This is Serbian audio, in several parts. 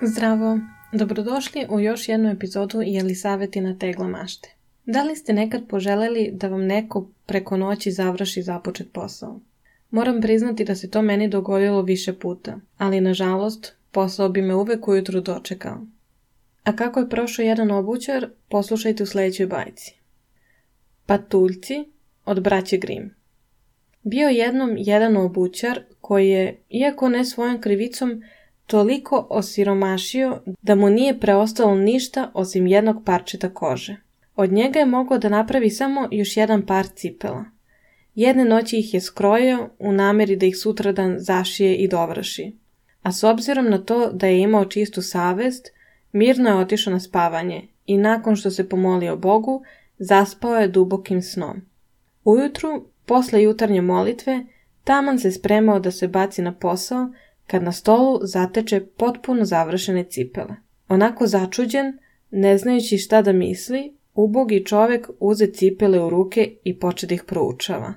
Zdravo, dobrodošli u još jednu epizodu Jelisavetina tegla mašte. Da li ste nekad poželeli da vam neko preko noći završi započet posao? Moram priznati da se to meni dogodilo više puta, ali nažalost posao bi me uvek ujutru dočekao. A kako je prošao jedan obućar, poslušajte u sljedećoj bajci. Patuljci od braće Grimm. Bio jednom jedan obućar koji je, iako ne svojom krivicom, toliko osiromašio da mu nije preostalo ništa osim jednog parčeta kože. Od njega je mogao da napravi samo još jedan par cipela. Jedne noći ih je skrojio u nameri da ih sutradan zašije i dovrši. A s obzirom na to da je imao čistu savest, mirno je otišao na spavanje i nakon što se pomolio Bogu, zaspao je dubokim snom. Ujutru, posle jutarnje molitve, taman se spremao da se baci na posao, kad na stolu zateče potpuno završene cipele. Onako začuđen, ne znajući šta da misli, ubogi čovek uze cipele u ruke i poče da ih proučava.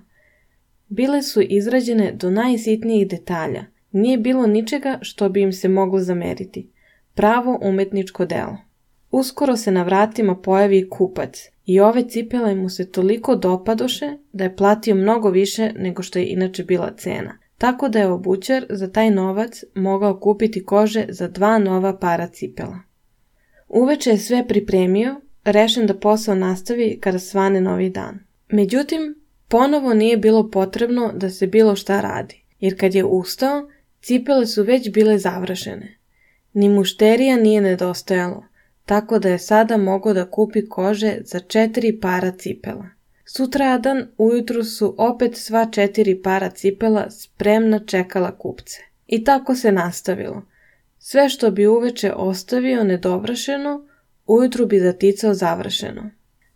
Bile su izrađene do najsitnijih detalja. Nije bilo ničega što bi im se moglo zameriti. Pravo umetničko delo. Uskoro se na vratima pojavi kupac i ove cipele mu se toliko dopadoše da je platio mnogo više nego što je inače bila cena. Tako da je obućar za taj novac mogao kupiti kože za 2 nova para cipela. Uveče je sve pripremio, rešen da posao nastavi kada svane novi dan. Međutim, ponovo nije bilo potrebno da se bilo šta radi, jer kad je ustao, cipele su već bile završene. Ni mušterija nije nedostajalo, tako da je sada mogao da kupi kože za 4 para cipela. Sutradan ujutru su opet sva 4 para cipela spremna čekala kupce. I tako se nastavilo. Sve što bi uveče ostavio nedovršeno, ujutru bi zaticao završeno.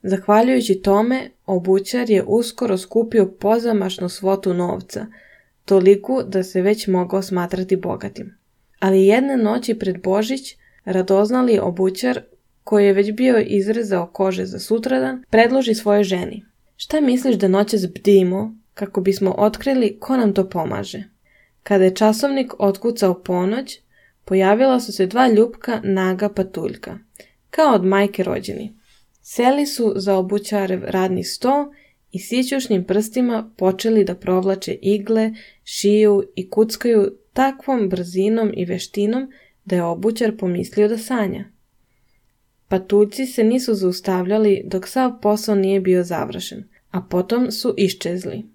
Zahvaljujući tome, obućar je uskoro skupio pozamašnu svotu novca, toliku da se već mogao smatrati bogatim. Ali jedne noći pred Božić, radoznali obućar, koji je već bio izrezao kože za sutradan, predloži svojoj ženi: "Šta misliš da noćas bdimo kako bismo otkrili ko nam to pomaže?" Kada je časovnik otkucao ponoć, pojavila su se 2 ljupka naga patuljka, kao od majke rođeni. Seli su za obućarev radni sto i sićušnim prstima počeli da provlače igle, šiju i kuckaju takvom brzinom i veštinom da je obućar pomislio da sanja. Patuljci se nisu zaustavljali dok sav posao nije bio završen, a potom su iščezli.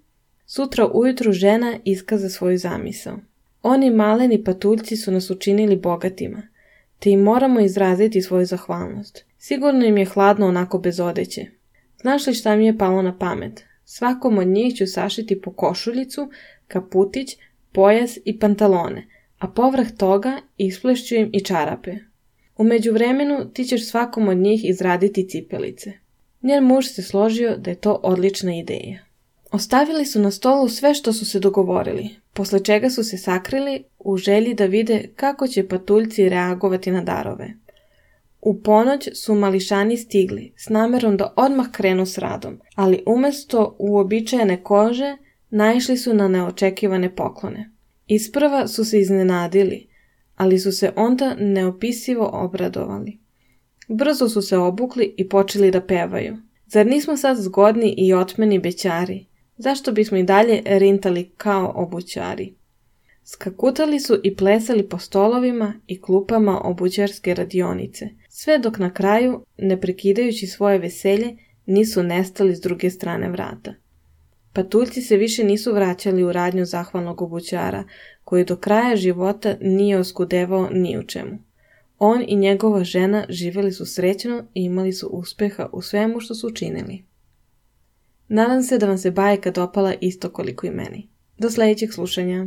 Sutra ujutru žena iskaza svoju zamisao. Oni maleni patuljci su nas učinili bogatima, te im moramo izraziti svoju zahvalnost. Sigurno im je hladno onako bez odeće. Znaš li šta mi je palo na pamet? Svakom od njih ću sašiti po košuljicu, kaputić, pojas i pantalone, a povrh toga isplešću im i čarape. U međuvremenu ti ćeš svakom od njih izraditi cipelice. Njen muž se složio da je to odlična ideja. Ostavili su na stolu sve što su se dogovorili, posle čega su se sakrili u želji da vide kako će patuljci reagovati na darove. U ponoć su mališani stigli s namerom da odmah krenu s radom, ali umesto uobičajene kože naišli su na neočekivane poklone. Isprva su se iznenadili, ali su se onda neopisivo obradovali. Brzo su se obukli i počeli da pevaju. Zar nismo sad zgodni i otmeni bećari? Zašto bismo i dalje rintali kao obućari? Skakutali su i plesali po stolovima i klupama obućarske radionice, sve dok na kraju, ne prekidajući svoje veselje, nisu nestali s druge strane vrata. Patuljci se više nisu vraćali u radnju zahvalnog obućara, koji do kraja života nije oskudevao ni u čemu. On i njegova žena živjeli su srećno i imali su uspeha u svemu što su učinili. Nadam se da vam se bajka dopala isto koliko i meni. Do sljedećeg slušanja.